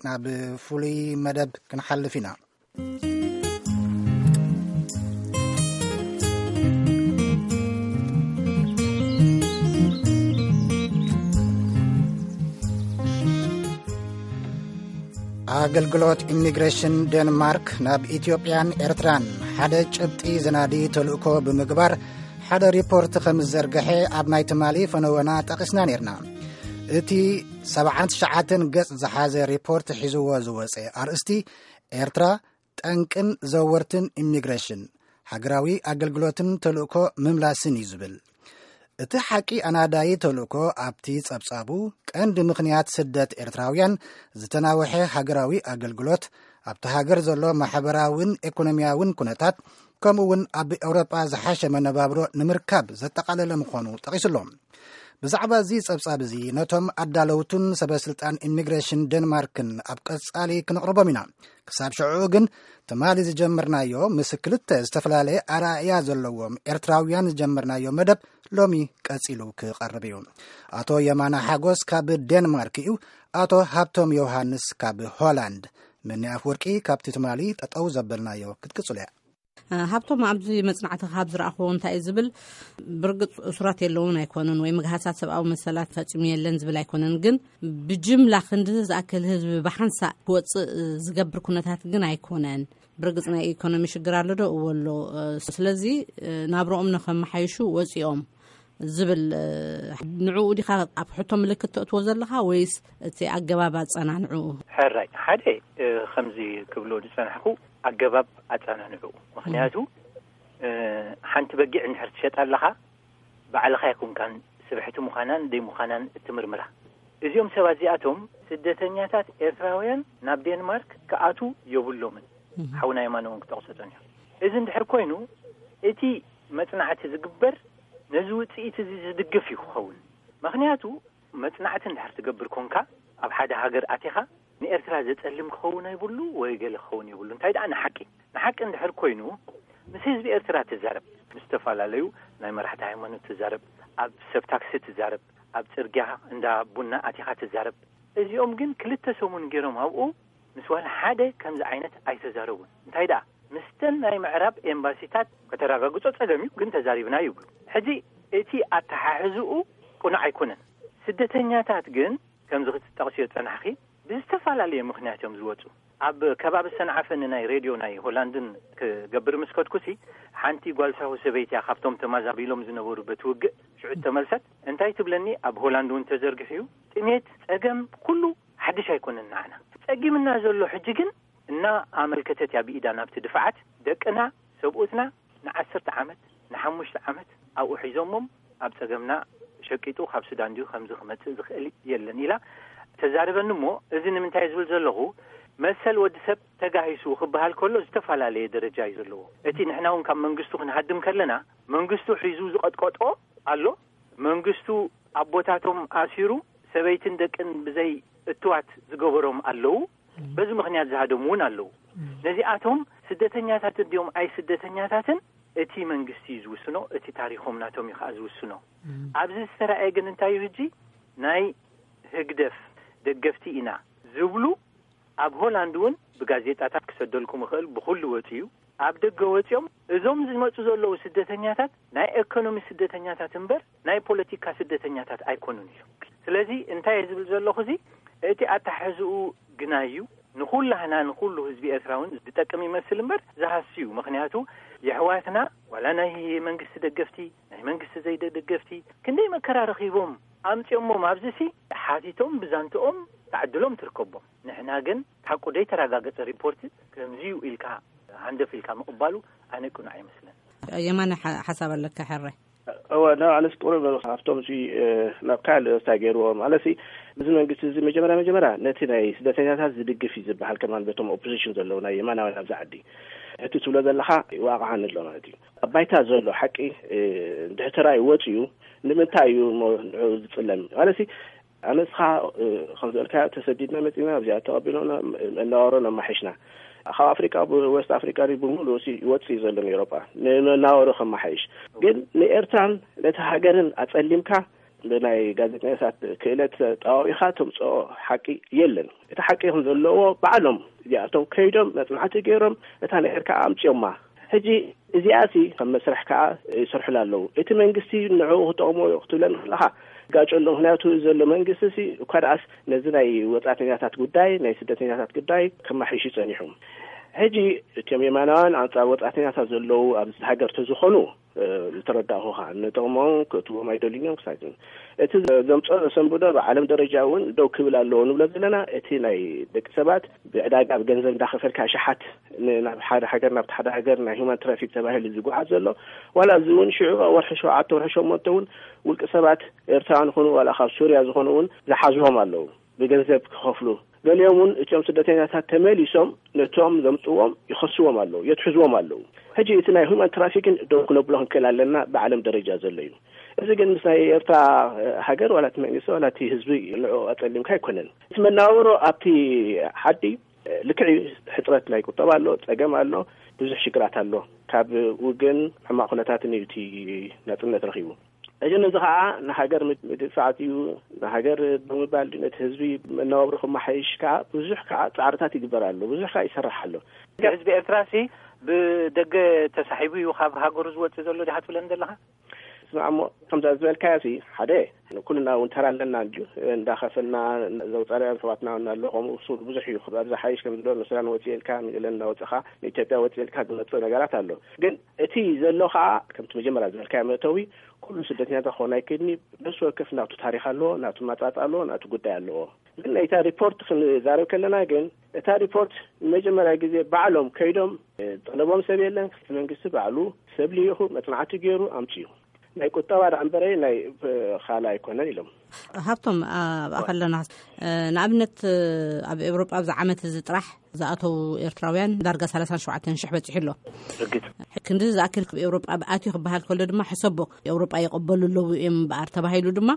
ናብ ፍሉይ መደብ ክንሓልፍ ኢና። ኣገልግሎት ኢሚግሬሽን ዴንማርክ ናብ ኢትዮጵያን ኤርትራን ሓደ ጭብጢ ዘናዲ ተልእኮ ብምግባር ሓደ ሪፖርት ከም ዝዘርግሐ ኣብ ናይ ትማሊ ፈነወና ጠቒስና ነይርና። እቲ ሰብዓን ትሽዓተን ገጽ ዝሓዘ ሪፖርት ሒዝዎ ዝወጸ ኣርእስቲ ኤርትራ ጠንቅን ዘወርትን ኢሚግሬሽን፣ ሃገራዊ ኣገልግሎትን ተልእኮ ምምላስን እዩ ዝብል። እቲ ሓቂ ኣናዳዪ ተልእኮ ኣብቲ ጸብጻቡ ቀንዲ ምኽንያት ስደት ኤርትራውያን ዝተናውሐ ሃገራዊ ኣገልግሎት፣ ኣብቲ ሃገር ዘሎ ማሕበራውን ኤኮኖሚያውን ኩነታት፣ ከምኡ እውን ኣብ ኤውሮጳ ዝሓሸ መነባብሮ ንምርካብ ዘጠቓለለ ምዃኑ ጠቒሱ ኣሎ። ብዛዕባ እዚ ጸብጻብ እዚ ነቶም ኣዳለውቱን ሰበ ስልጣን ኢሚግሬሽን ዴንማርክን ኣብ ቀጻሊ ክንቕርቦም ኢና። ክሳብ ሽዑ ግን ትማሊ ዝጀመርናዮ ምስ ክልተ ዝተፈላለየ ኣረኣእያ ዘለዎም ኤርትራውያን ዝጀመርናዮ መደብ ሎሚ ቀጺሉ ክቐርብ እዩ። ኣቶ የማነ ሓጎስ ካብ ዴንማርክ እዩ። ኣቶ ሃብቶም ዮሃንስ ካብ ሆላንድ። መኒ ኣፍወርቂ ካብቲ ትማሊ ጠጠው ዘበልናዮ ክትቅጽሉ እያ። ሃብቶም፣ ኣብዚ መጽናዕቲ ካብ ዝረኣኽዎ እንታይ እዩ ዝብል፣ ብርግጽ እሱራት የለውን ኣይኮነን ወይ ምግሃሳት ሰብኣዊ መሰላት ፈጺሙ የለን ዝብል ኣይኮነን፣ ግን ብጅምላ ክንዲ ዝኣክል ህዝቢ ብሓንሳእ ክወጽእ ዝገብር ኩነታት ግን ኣይኮነን። ብርግጽ ናይ ኢኮኖሚ ሽግር ኣሎ ዶ? እዎ ኣሎ። ስለዚ ናብረኦም ንኸመሓይሹ ወጺኦም ዝብል፣ ንዕኡ ዲኻ ኣብ ሕቶ ምልክት ተእትዎ ዘለኻ ወይስ እቲ ኣገባብ ኣጸናንዕኡ? ሕራይ፣ ሓደ፣ ከምዚ ክብሎ ዝጸናሕኩ፣ ኣገባብ ኣጸናንዕኡ። ምኽንያቱ፣ ሓንቲ በጊዕ እንድሕር ትሸጣ ኣለኻ፣ ባዕልኻ ኣይኮንካን ስብሕቲ ምዃናን ደይ ምዃናን እትምርምራ። እዚኦም ሰባት እዚኣቶም ስደተኛታት ኤርትራውያን ናብ ዴንማርክ ክኣቱ የብሎምን። ሓውና የማነ እውን ክጠቕሶ ጸኒሑ። እዚ እንድሕር ኮይኑ፣ እቲ መጽናዕቲ ዝግበር ነዚ ውጽኢት እዚ ዝድግፍ እዩ ክኸውን። ምኽንያቱ፣ መጽናዕቲ እንድሕር ትገብር ኮንካ፣ ኣብ ሓደ ሃገር ኣቲኻ፣ ንኤርትራ ዘጸልም ክኸውን ኣይብሉ ወይ ገለ ክኸውን የብሉ። እንታይ ደኣ ንሓቂ፣ ንሓቂ እንድሕር ኮይኑ፣ ምስ ህዝቢ ኤርትራ ትዛረብ፣ ምስ ዝተፈላለዩ ናይ መራሕቲ ሃይማኖት ትዛረብ፣ ኣብ ሰብ ታክሲ ትዛረብ፣ ኣብ ጽርግያ እንዳ ቡና ኣቲኻ ትዛረብ። እዚኦም ግን ክልተ ሰሙን ገይሮም ኣብኡ ምስ ዋላ ሓደ ከምዚ ዓይነት ኣይተዛረቡን። እንታይ ደኣ፣ ምስተን ናይ ምዕራብ ኤምባሲታት ከተረጋግጾ ጸገም እዩ፣ ግን ተዛሪብና ይብሉ። ሕጂ እቲ ኣተሓሕዝኡ ቅኑዕ ኣይኮነን። ስደተኛታት ግን ከምዚ ክትጠቕስዮ ዝጸናሕኺ፣ ብዝተፈላለየ ምኽንያት እዮም ዝወጹ። ኣብ ከባቢ ሰንዓፈ ንናይ ሬድዮ ናይ ሆላንድን ክገብር ምስ ከድኩሲ፣ ሓንቲ ጓል ሳሆ ሰበይቲ እያ ካብቶም ተማዛቢሎም ዝነበሩ በቲ ውግእ ሽዑ ተመልሰት። እንታይ ትብለኒ፣ ኣብ ሆላንድ እውን ተዘርጊሑ እዩ። ጥሜት፣ ጸገም፣ ኩሉ ሓድሽ ኣይኮነን ንዓና። ጸጊምና ዘሎ ሕጂ ግን እና ኣመልከተት እያ ብኢዳ ናብቲ ድፋዓት፣ ደቅና፣ ሰብኡትና ንዓሰርተ ዓመት፣ ንሓሙሽተ ዓመት ኣብኡ ሒዞሞም ኣብ ጸገምና ሸቂጡ ካብ ሱዳን ድዩ ከምዚ ክመጽእ ዝኽእል የለን ኢላ ተዛርበኒ። እሞ እዚ ንምንታይ ዝብል ዘለኹ፣ መሰል ወዲ ሰብ ተጋሂሱ ክበሃል ከሎ ዝተፈላለየ ደረጃ እዩ ዘለዎ። እቲ ንሕና እውን ካብ መንግስቱ ክንሃድም ከለና መንግስቱ ሒዙ ዝቐጥቀጦ ኣሎ። መንግስቱ ኣቦታቶም ኣሲሩ ሰበይትን ደቅን ብዘይ እትዋት ዝገበሮም ኣለዉ። በዚ ምኽንያት ዝሃደሙ እውን ኣለዉ። ነዚኣቶም ስደተኛታት እንዲዮም ኣይ ስደተኛታትን እቲ መንግስቲ እዩ ዝውስኖ፣ እቲ ታሪኾም ናቶም እዩ ከዓ ዝውስኖ። ኣብዚ ዝተረኣየ ግን እንታይ እዩ፣ ሕጂ ናይ ህግደፍ ደገፍቲ ኢና ዝብሉ ኣብ ሆላንድ እውን ብጋዜጣታት ክሰደልኩም ይኽእል፣ ብኹሉ ወፂኡ። ኣብ ደገ ወፂኦም እዞም ዝመፁ ዘለዉ ስደተኛታት ናይ ኤኮኖሚ ስደተኛታት እምበር ናይ ፖለቲካ ስደተኛታት ኣይኮኑን ኢሉ። ስለዚ እንታይ እየ ዝብል ዘለኹ፣ እዚ እቲ ኣተሓሕዝኡ ግናይ እዩ። ንኹላህና፣ ንኹሉ ህዝቢ ኤርትራ እውን ዝጠቅም ይመስል እምበር ዝሃሲ እዩ። ምኽንያቱ የሕዋትና ዋላ ናይ መንግስቲ ደገፍቲ፣ ናይ መንግስቲ ዘይደገፍቲ ክንደይ መከራ ረኺቦም ኣምጺኦሞም፣ ኣብዚ ሲ ሓቲቶም ብዛንትኦም ተዕድሎም ትርከቦም። ንሕና ግን ሓቁ ደይተረጋገጸ ሪፖርት ከምዚ እዩ ኢልካ ሃንደፍ ኢልካ ምቕባሉ ኣነ ቅኑዕ ኣይመስለን። የማነ ሓ-፣ ሓሳብ ኣለካ ሕራይ? እወ፣ ና ኣነስ ቁሩብ ካብቶም ሲ፣ እ፣ ናብ ካልእ ርእስታ ገይርዎ። ማለትሲ፣ እዚ መንግስቲ እዚ መጀመርያ መጀመርያ ነቲ ናይ ስደተኛታት ዝድግፍ እዩ ዝበሃል ከማን በቶም ኦፖዚሽን ዘለዉ ናይ የማናውያን ኣብዚ ዓዲ። እቲ ትብሎ ዘለኻ ይዋቕዓኒ ኣሎ ማለት እዩ። ኣብ ባይታ ዘሎ ሓቂ፣ እ፣ እንድሕር ተራእዩ ወፂኡ፣ ንምንታይ እዩ እሞ ንዕኡ ዝፅለም? ማለትሲ፣ ኣነስኻ፣ እ፣ ከም ዝበልካዮ ተሰዲድና መፂና፣ ኣብዚኣ ተቐቢሎና፣ መነባብሮ ነማሒሽና። ካብ ኣፍሪቃ፣ ብወስት ኣፍሪቃ ድዩ ብምሉእ ሲ ይወጽእ እዩ ዘሎ ንኤውሮጳ፣ ንመናወሩ ከመሓይሽ። ግን ንኤርትራን ነቲ ሃገርን ኣጸሊምካ፣ ብናይ ጋዜጠኛታት ክእለት ጠዋዊኻ ተምጽኦ ሓቂ የለን። እቲ ሓቂ ከም ዘለዎ ባዕሎም እዚኣቶም ከይዶም መጽናዕቲ ገይሮም እታ ነገር ከዓ ኣምጽዮማ። ሕጂ እዚኣ ሲ ከም መስርሕ ከዓ ይሰርሑላ ኣለዉ። እቲ መንግስቲ ንዕኡ ክጠቕሞ ክትብለን ከለኻ ጋጨሎ። ምክንያቱ ዘሎ መንግስቲ ሲ እኳ ደኣስ ነዚ ናይ ወጻእተኛታት ጉዳይ፣ ናይ ስደተኛታት ጉዳይ ከማሒሽ ጸኒሑ። ሕጂ እቶም የማናውያን ኣንጻር ወጻእተኛታት ዘለዉ ኣብዚ ሃገር ተዝኾኑ ዝተረዳእኹኻ፣ ንጥቕሞም ክእትዎም ኣይደልዩን እዮም ክሳብ። እቲ ዘምፅኦ ዘሰንብዶ ብዓለም ደረጃ እውን ደው ክብል ኣለዎ ንብሎ ዘለና፣ እቲ ናይ ደቂ ሰባት ብዕዳጋ ብገንዘብ እንዳኸፈልካ ሸሓት ናብ ሓደ ሃገር ናብቲ ሓደ ሃገር ናይ ሁማን ትራፊክ ተባሂሉ ዝጓዓዝ ዘሎ፣ ዋላ እዚ እውን ሽዑ ወርሒ ሸውዓተ ወርሒ ሸሞንተ እውን ውልቂ ሰባት ኤርትራውያን ዝኾኑ ዋላ ካብ ሱርያ ዝኾኑ እውን ዝሓዝዎም ኣለዉ ብገንዘብ ክኸፍሉ። ገሊኦም እውን እቶም ስደተኛታት ተመሊሶም ነቶም ዘምፅዎም ይኸስዎም ኣለዉ፣ የትሕዝዎም ኣለዉ። ሕጂ እቲ ናይ ሁማን ትራፊክን ደው ክነብሎ ክንክእል ኣለና ብዓለም ደረጃ ዘሎ እዩ። እዚ ግን ምስ ናይ ኤርትራ ሃገር ዋላ እቲ መንግስቲ ዋላ እቲ ህዝቢ ንዑ ኣፀሊምካ ኣይኮነን። እቲ መናበሮ ኣብቲ ሓዲ ልክዕ እዩ፣ ሕፅረት ናይ ቁጠባ ኣሎ፣ ፀገም ኣሎ፣ ብዙሕ ሽግራት ኣሎ። ካብ ውግን ሕማቕ ኩነታትን እዩ እቲ ናፅነት ረኺቡ። እዚ ነዚ ከዓ ንሃገር ምድፋዕ እዩ። ንሃገር ብምባል ነቲ ህዝቢ መነባብሮ ክመሓይሽ ከዓ ብዙሕ ከዓ ፃዕርታት ይግበር ኣሎ፣ ብዙሕ ከዓ ይሰራሕ ኣሎ። ህዝቢ ኤርትራ ሲ ብደገ ተሳሒቡ እዩ ካብ ሃገሩ ዝወፅእ ዘሎ ዲኻ ትብለኒ ዘለኻ? ስማዕ እሞ ከምዛ ዝበልካዮ ሲ ሓደ ኩልና እውን ተራ ኣለና እንድዩ፣ እንዳኸፈልና ዘውፃና ኣሕዋትና እውን ኣሎ። ከምኡ እሱ ብዙሕ እዩ። ኣብዚ ሓይሽ ከም ዝብሎ ንሱዳን ወፂኤልካ፣ ንገለ እንዳወፅኻ ንኢትዮጵያ ወፂኤልካ ዝመፅእ ነገራት ኣሎ። ግን እቲ ዘሎ ከዓ ከምቲ መጀመርያ ዝበልካዮ መእተዊ ኩሉ ስደተኛታት ክኾን ኣይክእልኒ። ነፍሲ ወከፍ ናቱ ታሪኽ ኣለዎ፣ ናቱ ማፃፅ ኣለዎ፣ ናቱ ጉዳይ ኣለዎ። ግን ናይታ ሪፖርት ክንዛረብ ከለና ግን እታ ሪፖርት ንመጀመርያ ግዜ ባዕሎም ከይዶም ጠለቦም ሰብ የለን። እቲ መንግስቲ ባዕሉ ሰብ ልኢኹ መፅናዕቲ ገይሩ ኣምፅኡ። ናይ ቁጠባ ደኣ እምበረ ናይ ካልእ ኣይኮነን ኢሎም። ሃብቶም ኣብኣ ከለና ንኣብነት ኣብ ኤውሮጳ ኣብዚ ዓመት እዚ ጥራሕ ዝኣተው ኤርትራውያን ዳርጋ ሰላሳን ሸውዓተን ሽሕ በፂሑ ኣሎ። ርግጽ። ክንዲ ዝኣክል ካብ ኤውሮጳ ኣትዩ ክበሃል ከሎ ድማ ሕሰቦ ኤውሮጳ ይቕበሉ ኣለዉ እዮም እምበኣር ተባሂሉ ድማ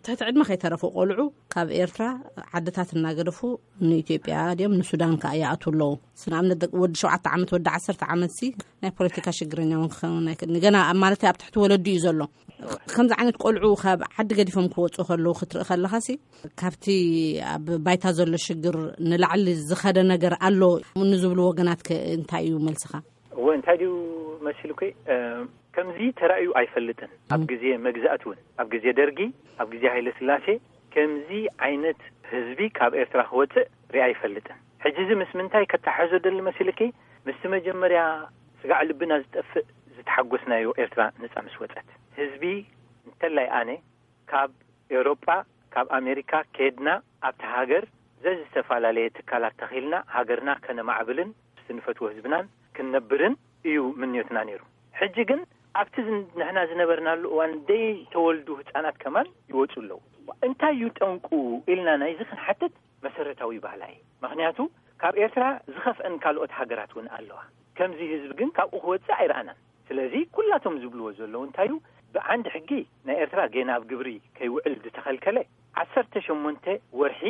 ትሕቲ ዕድመ ከይተረፉ ቆልዑ ካብ ኤርትራ ዓድታት እናገደፉ ንኢትዮጵያ ድዮም ንሱዳን ከኣ ይኣትዉ ኣለዉ። ንኣብነት ደቂ ወዲ ሸውዓተ ዓመት ወዲ ዓሰርተ ዓመት ሲ ናይ ፖለቲካ ሽግረኛ እውን ክኸውን ኣይክእልን። ገና ኣብ ማለት ኣብ ትሕቲ ወለዱ እዩ ዘሎ። ከምዚ ዓይነት ቆልዑ ካብ ዓዲ ገዲፎም ክወፁ ከለዉ ክትርኢ ከለኻ ሲ ካብቲ ኣብ ባይታ ዘሎ ሽግር ንላዕሊ ዝኸደ ነገር ኣሎ ንዝብሉ ወገናት ከ እንታይ እዩ መልስኻ? እወ እንታይ ድዩ መሲሉኪ ከምዚ ተራእዩ ኣይፈልጥን። ኣብ ግዜ መግዛእቲ እውን ኣብ ግዜ ደርጊ ኣብ ግዜ ሃይለ ስላሴ ከምዚ ዓይነት ህዝቢ ካብ ኤርትራ ክወፅእ ሪኣ ኣይፈልጥን። ሕጂ እዚ ምስ ምንታይ ከተሓሕዞ ደሊ መሲልኪ? ምስቲ መጀመርያ ስጋዕ ልብና ዝጠፍእ ዝተሓጎስናዮ ኤርትራ ነፃ ምስ ወፀት ህዝቢ እንተላይ ኣነ ካብ ኤውሮጳ ካብ ኣሜሪካ ከድና ኣብቲ ሃገር ዘዝተፈላለየ ትካላት ተኺልና ሃገርና ከነማዕብልን ምስቲ ንፈትዎ ህዝብናን ክንነብርን እዩ ምንዮትና ነይሩ። ሕጂ ግን ኣብቲ ንሕና ዝነበርናሉ እዋን ደይ ተወልዱ ህፃናት ከማን ይወፁ ኣለዉ። እንታይ እዩ ጠንቁ ኢልና ናይዚ ክንሓትት መሰረታዊ ባህላ እዩ። ምክንያቱ ካብ ኤርትራ ዝኸፍአን ካልኦት ሃገራት እውን ኣለዋ። ከምዚ ህዝቢ ግን ካብኡ ክወፅእ ኣይረኣናን። ስለዚ ኩላቶም ዝብልዎ ዘለዉ እንታይ እዩ፣ ብዓንዲ ሕጊ ናይ ኤርትራ ጌና ኣብ ግብሪ ከይውዕል ዝተኸልከለ ዓሰርተ ሸሞንተ ወርሒ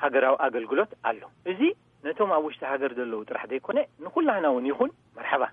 ሃገራዊ ኣገልግሎት ኣሎ። እዚ ነቶም ኣብ ውሽጢ ሃገር ዘለዉ ጥራሕ ዘይኮነ ንኩላህና እውን ይኹን። መርሓባ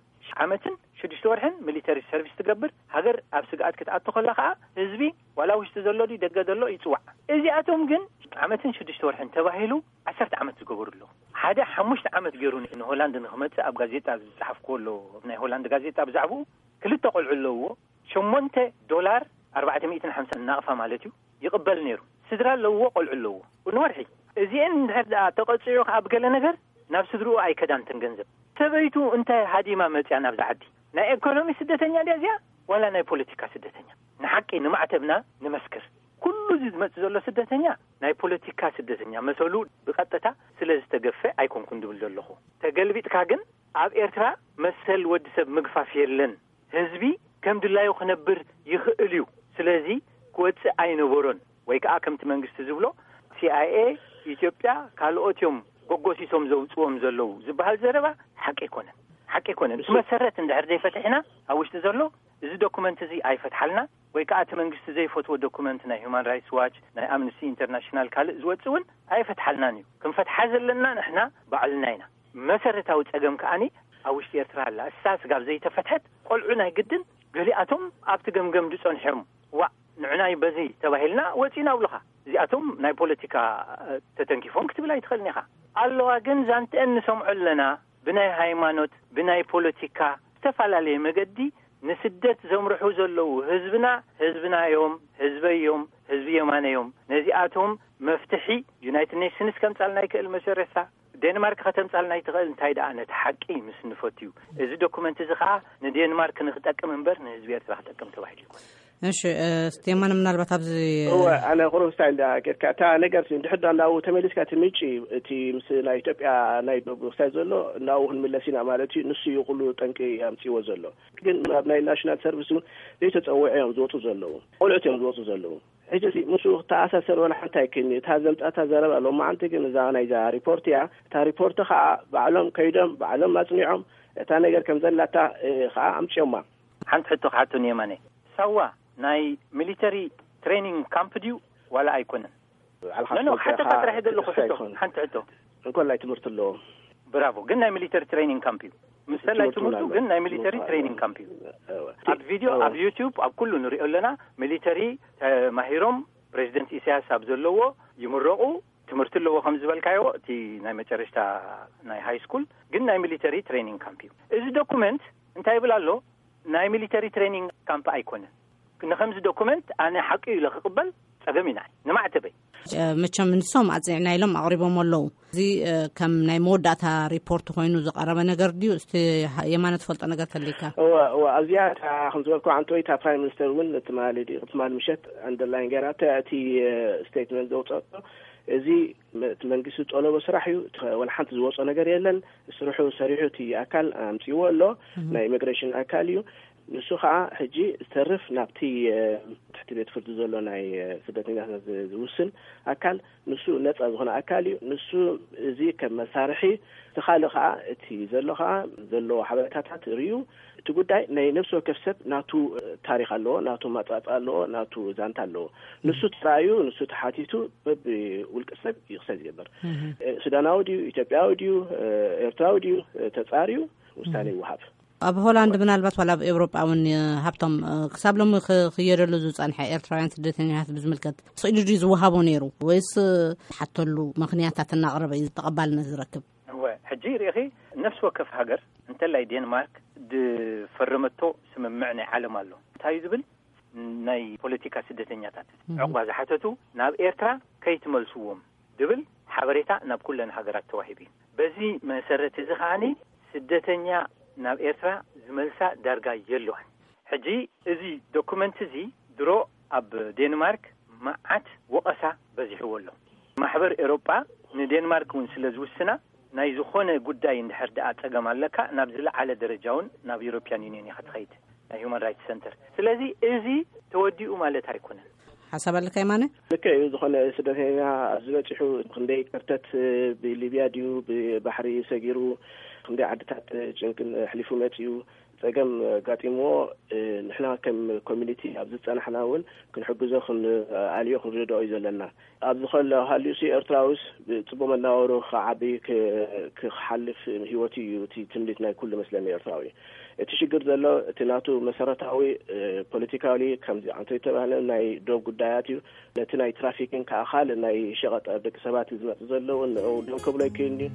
ዓመትን ሽዱሽተ ወርሕን ሚሊተሪ ሰርቪስ ትገብር ሃገር ኣብ ስግኣት ክትኣቱ ከላ ከዓ ህዝቢ ዋላ ውሽጢ ዘሎ ድዩ ደገ ዘሎ ይፅዋዕ። እዚኣቶም ግን ዓመትን ሽዱሽተ ወርሕን ተባሂሉ ዓሰርተ ዓመት ዝገበሩ ኣለዉ። ሓደ ሓሙሽተ ዓመት ገይሩ ንሆላንድ ንክመፅእ ኣብ ጋዜጣ ዝፀሓፍክዎ ኣሎ። ኣብ ናይ ሆላንድ ጋዜጣ ብዛዕባኡ ክልተ ቆልዑ ኣለውዎ። ሸሞንተ ዶላር ኣርባዕተ ሚእትን ሓምሳን ናቕፋ ማለት እዩ ይቕበል ነይሩ። ስድራ ኣለውዎ ቆልዑ ኣለውዎ ንወርሒ። እዚአን እንድሕር ደኣ ተቐፂዑ ከኣ ብገለ ነገር ናብ ስድርኡ ኣይከዳን ተን ገንዘብ። ሰበይቱ እንታይ ሃዲማ መፅያ ናብዚ ዓዲ? ናይ ኤኮኖሚ ስደተኛ ድያ እዚኣ ዋላ ናይ ፖለቲካ ስደተኛ? ንሓቂ ንማዕተብና ንመስክር። ኩሉ እዚ ዝመፅእ ዘሎ ስደተኛ ናይ ፖለቲካ ስደተኛ መሰሉ ብቐጥታ ስለ ዝተገፈ ኣይኮንኩን ድብል ዘለኹ። ተገልቢጥካ ግን ኣብ ኤርትራ መሰል ወዲ ሰብ ምግፋፍ የለን። ህዝቢ ከም ድላዩ ክነብር ይኽእል እዩ። ስለዚ ክወፅእ ኣይነበሮን። ወይ ከዓ ከምቲ መንግስቲ ዝብሎ ሲኣይኤ ኢትዮጵያ ካልኦት እዮም ጎጎሲሶም ዘውፅዎም ዘለዉ ዝበሃል ዘረባ ሓቂ ኣይኮነን። ሓቂ ኣይኮነን። እቲ መሰረት እንድሕር ዘይፈትሒና ኣብ ውሽጢ ዘሎ እዚ ዶኩመንት እዚ ኣይፈትሓልና ወይ ከዓ እቲ መንግስቲ ዘይፈትዎ ዶኩመንት ናይ ሁማን ራይትስ ዋች ናይ ኣምነስቲ ኢንተርናሽናል ካልእ ዝወፅእ እውን ኣይፈትሓልናን እዩ። ክንፈትሓ ዘለና ንሕና ባዕልና ኢና። መሰረታዊ ጸገም ከኣኒ ኣብ ውሽጢ ኤርትራ ኣላ። እሳ ስጋብ ዘይተፈትሐት ቆልዑ ናይ ግድን ገሊኣቶም ኣብቲ ገምገም ዝጸንሖም፣ ዋእ ንዕናይ በዚ ተባሂልና ወጺና ብልኻ። እዚኣቶም ናይ ፖለቲካ ተተንኪፎም ክትብል ኣይትኽእልን ኢኻ። ኣለዋ ግን ዛንትአን ንሰምዖ ኣለና። ብናይ ሃይማኖት፣ ብናይ ፖለቲካ ዝተፈላለየ መገዲ ንስደት ዘምርሑ ዘለዉ ህዝብና፣ ህዝብና እዮም፣ ህዝበይ እዮም፣ ህዝቢ የማነ እዮም። ነዚኣቶም መፍትሒ ዩናይትድ ኔሽንስ ከምጻልና ይክእል፣ መሰረታ ዴንማርክ ከተምጻልና ይትኽእል። እንታይ ደኣ ነቲ ሓቂ ምስ ንፈትዩ፣ እዚ ዶኩመንት እዚ ኸኣ ንዴንማርክ ንክጠቅም እምበር ንህዝቢ ኤርትራ ክጠቅም ተባሂሉ ይኮን። እሺ፣ እ፣ ስቴማን ምናልባት ኣብዚ እወ፣ ኣነ ቁሩብ ስታይ እንዳ ጌርካ፣ እታ ነገር እንድሕር ዳ እንዳው ተመሊስካ፣ እቲ ምንጪ፣ እቲ ምስ ናይ ኢትዮጵያ ናይ ዶብ ክሳይ ዘሎ እንዳው ክንምለስ ኢና ማለት እዩ። ንሱ እዩ ኩሉ ጠንቂ ኣምጺዎ ዘሎ። ግን ኣብ ናይ ናሽናል ሰርቪስ እውን ዘይተጸውዑ እዮም ዝወጹ ዘለዉ። ቆልዑት እዮም ዝወጹ ዘለዉ። ሕጂ እዚ ምስኡ ክተኣሳሰር ወላ ሓንቲ ኣይክእልን እዩ። እታ ዘምጻእታ ዘረባ ሎማዓንቲ ግን እዛ ናይዛ ሪፖርት እያ። እታ ሪፖርት ከዓ ባዕሎም ከይዶም፣ ባዕሎም ኣጽኒዖም፣ እታ ነገር ከም ዘላታ፣ እ፣ ከዓ ኣምጺኦማ። ሓንቲ ሕቶ ክሓቶ ንየማነ። ሳዋ ናይ ሚሊተሪ ትሬኒንግ ካምፕ ድዩ ዋላ ኣይኮነን? ባዕልኻ ኖ፣ ኖ፣ ትፈልጦ ሓተታ ኢኻ፣ ጥራሕ የደለኹ ትፈልጦ ሕቶ። ኣይኮነን። ሓንቲ ሕቶ። እንኮላይ ትምህርቲ ኣለዎ። ብራቮ። ግን ናይ ሚሊተሪ ትሬኒንግ ካምፕ እዩ። ምስ ሰላይ ትምህርቱ ትምህርቱ እውን ግን ኣለዎ። ናይ ሚሊተሪ ትምህርቱ ትሬኒንግ ኣለዎ። ካምፕ እዩ። እወ። ኣብ ቪድዮ፣ እወ። ኣብ ዩቲዩብ፣ ኣብ ኩሉ ንሪኦ ኣለና። ሚሊተሪ ተማሂሮም ፕሬዚደንት ኢሳያስ ኣብ ዘለዎ ይምረቑ። ትምህርቲ ኣለዎ ከም ዝበልካዮ፣ እቲ ናይ መጨረሽታ ናይ ሃይ ስኩል ግን ናይ ሚሊተሪ ትሬኒንግ ካምፕ እዩ። እዚ ዶኩመንት እንታይ ይብል ኣሎ? ናይ ሚሊተሪ ትሬኒንግ ካምፕ ኣይኮነን። ንከምዚ ዶኩመንት ኣነ ሓቂ እዩ ኢለ ክቕበል ጸገም እዩ ንዓይ፣ ንማዕተበይ። እ፣ መቸም ንሶም ኣጽኒዕና ኢሎም ኣቕሪቦም ኣለዉ። እዚ፣ እ፣ ከም ናይ መወዳእታ ሪፖርት ኮይኑ ዝቐረበ ነገር ድዩ? እስቲ ሃ-፣ የማነ ትፈልጦ ነገር ተልይካ? እወ፣ እወ፣ ኣብዚኣ እታ ከም ዝበልኩ ዓንተወይ፣ እታ ፕራይም ሚኒስተር እውን ትማሊ ድዩ፣ ትማሊ ምሸት ኣንደርላይን ገይራ፣ እታ፣ እቲ፣ እ፣ ስቴትመንት ዘውፀኦ፣ እዚ መ-፣ እቲ መንግስቲ ዝጠለቦ ስራሕ እዩ፣ እቲ ወላ ሓንቲ ዝወፆ ነገር የለን፣ ስርሑ ሰሪሑ እቲ ኣካል ኣምፅዎ ኣሎ፣ እህ። ናይ ኢሚግሬሽን ኣካል እዩ። ንሱ ኸዓ ሕጂ ዝተርፍ ናብቲ፣ እ፣ ትሕቲ ቤት ፍርዲ ዘሎ ናይ፣ እ፣ ስደተኛታት ዝ-፣ ዝውስን ኣካል፣ ንሱ ነጻ ዝኾነ ኣካል እዩ። ንሱ እዚ ከም መሳርሒ፣ እቲ ካልእ ኸዓ፣ እቲ ዘሎ ኸዓ፣ ዘለዎ ሓበሬታታት ርእዩ፣ እቲ ጉዳይ ናይ ነፍሲ ወከፍ ሰብ ናቱ፣ እ፣ ታሪኽ ኣለዎ፣ ናቱ ማጻጻ ኣለዎ፣ ናቱ ዛንታ ኣለዎ። ንሱ ተራእዩ፣ ንሱ ተሓቲቱ፣ በብ ውልቀ ሰብ እዩ ክሳይ ዝገብር። እህ። እ፣ ሱዳናዊ ድዩ፣ ኢትዮጵያዊ ድዩ፣ እ፣ ኤርትራዊ ድዩ፣ እ፣ ተጻርዩ ውሳኔ እህ። ይወሃብ። ኣብ ሆላንድ ምናልባት ዋላ ኣብ ኤውሮጳ እውን፣ እ፣ ሃብቶም፣ እ፣ ክሳብ ሎሚ ክ-፣ ክየደሉ ዝጸንሐ ኤርትራውያን ስደተኛታት ብዝምልከት ስኢሉ ድዩ ዝወሃቦ ነይሩ ወይስ፣ እ፣ ዝሓተሉ ምኽንያታት እናቕረበ እዩ ተቐባልነት ዝረክብ? እወ፣ ሕጂ ርኢኺ፣ ነፍሲ ወከፍ ሃገር እንተላይ ዴንማርክ ዝፈረመቶ ስምምዕ ናይ ዓለም ኣሎ። እንታይ እዩ ዝብል? ናይ ፖለቲካ ስደተኛታት እህ። ዕቑባ ዝሓተቱ ናብ ኤርትራ ከይትመልስዎም ዝብል ሓበሬታ ናብ ኩለን ሃገራት ተዋሂቡ እዩ። በዚ መሰረት እዚ ከዓኒ ስደተኛ ናብ ኤርትራ ዝመልሳ ዳርጋ የለዋን። ሕጂ እዚ ዶኩመንት እዚ ድሮ ኣብ ዴንማርክ መዓት ወቐሳ በዚሕዎ ኣሎ። ማሕበር ኤሮጳ ንዴንማርክ እውን ስለ ዝውስና ናይ ዝኾነ ጉዳይ እንድሕር ደኣ ጸገም ኣለካ ናብ ዝለዓለ ደረጃ እውን ናብ ዩሮፒያን ዩኒየን ኢኻ ትኸይድ፣ ናይ ሁማን ራይትስ ሰንተር። ስለዚ እዚ ተወዲኡ ማለት ኣይኮነን። ሓሳብ ኣለካ የማነ? ልክዕ እዩ። ዝኾነ ስደተኛ ኣብዚ በጺሑ ክንደይ ከርተት ብሊብያ ድዩ ብባሕሪ ሰጊሩ ክንደይ ዓድታት ጭንቅን ኣሕሊፉ መጺኡ ጸገም ኣጋጢምዎ፣ እ፣ ንሕና ከም ኮሚኒቲ ኣብዚ ዝጸናሕና እውን ክንሕግዞ፣ ክንኣልዮ፣ ክንርድኦ እዩ ዘለና። ኣብዚ ከሎ ሃልዩሲ ኤርትራዊስ ብጽቡቕ መናበሩ ክዓቢ፣ ክ-፣ ክሓልፍ ህይወቱ እዩ እቲ ትምኒት ናይ ኩሉ መስለኒ ኤርትራዊ። እቲ ሽግር ዘሎ እቲ ናቱ መሰረታዊ፣ እ፣ ፖለቲካሊ ከምዚ ኣንቶ ዝተባህለ ናይ ዶብ ጉዳያት እዩ። ነቲ ናይ ትራፊክን ከዓ ካልእ ናይ ሸቐጥ ኣብ ደቂ ሰባት ዝመጽእ ዘለውን ንኡ ደው ከብሎ ኣይክእልን እዩ።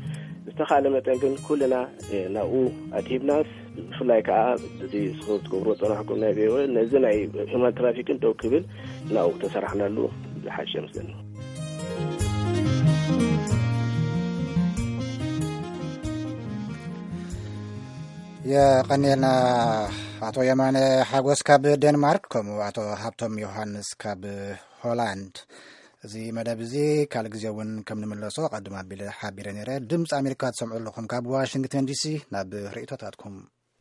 ዝተኻለ መጠን ግን ኩልና፣ እ፣ ናብኡ ኣድሂብናስ፣ ብፍላይ ከዓ እዚ ስኹም ትገብርዎ ጸናሕኩም ናይ ቪኦኤ ነዚ ናይ ሂውማን ትራፊክን ደው ክብል ናብኡ ተሰራሕናሉ ዝሓሸ ይመስለኒ። የቐንየልና ኣቶ የማነ ሓጎስ ካብ ዴንማርክ፣ ከምኡ ኣቶ ሃብቶም ዮሃንስ ካብ ሆላንድ። እዚ መደብ እዚ ካልእ ግዜ እውን ከም ንምለሶ ኣቐድም ኣቢለ ሓቢረ ነይረ። ድምፂ ኣሜሪካ ትሰምዑ ኣለኹም ካብ ዋሽንግተን ዲሲ። ናብ ርእይቶታትኩም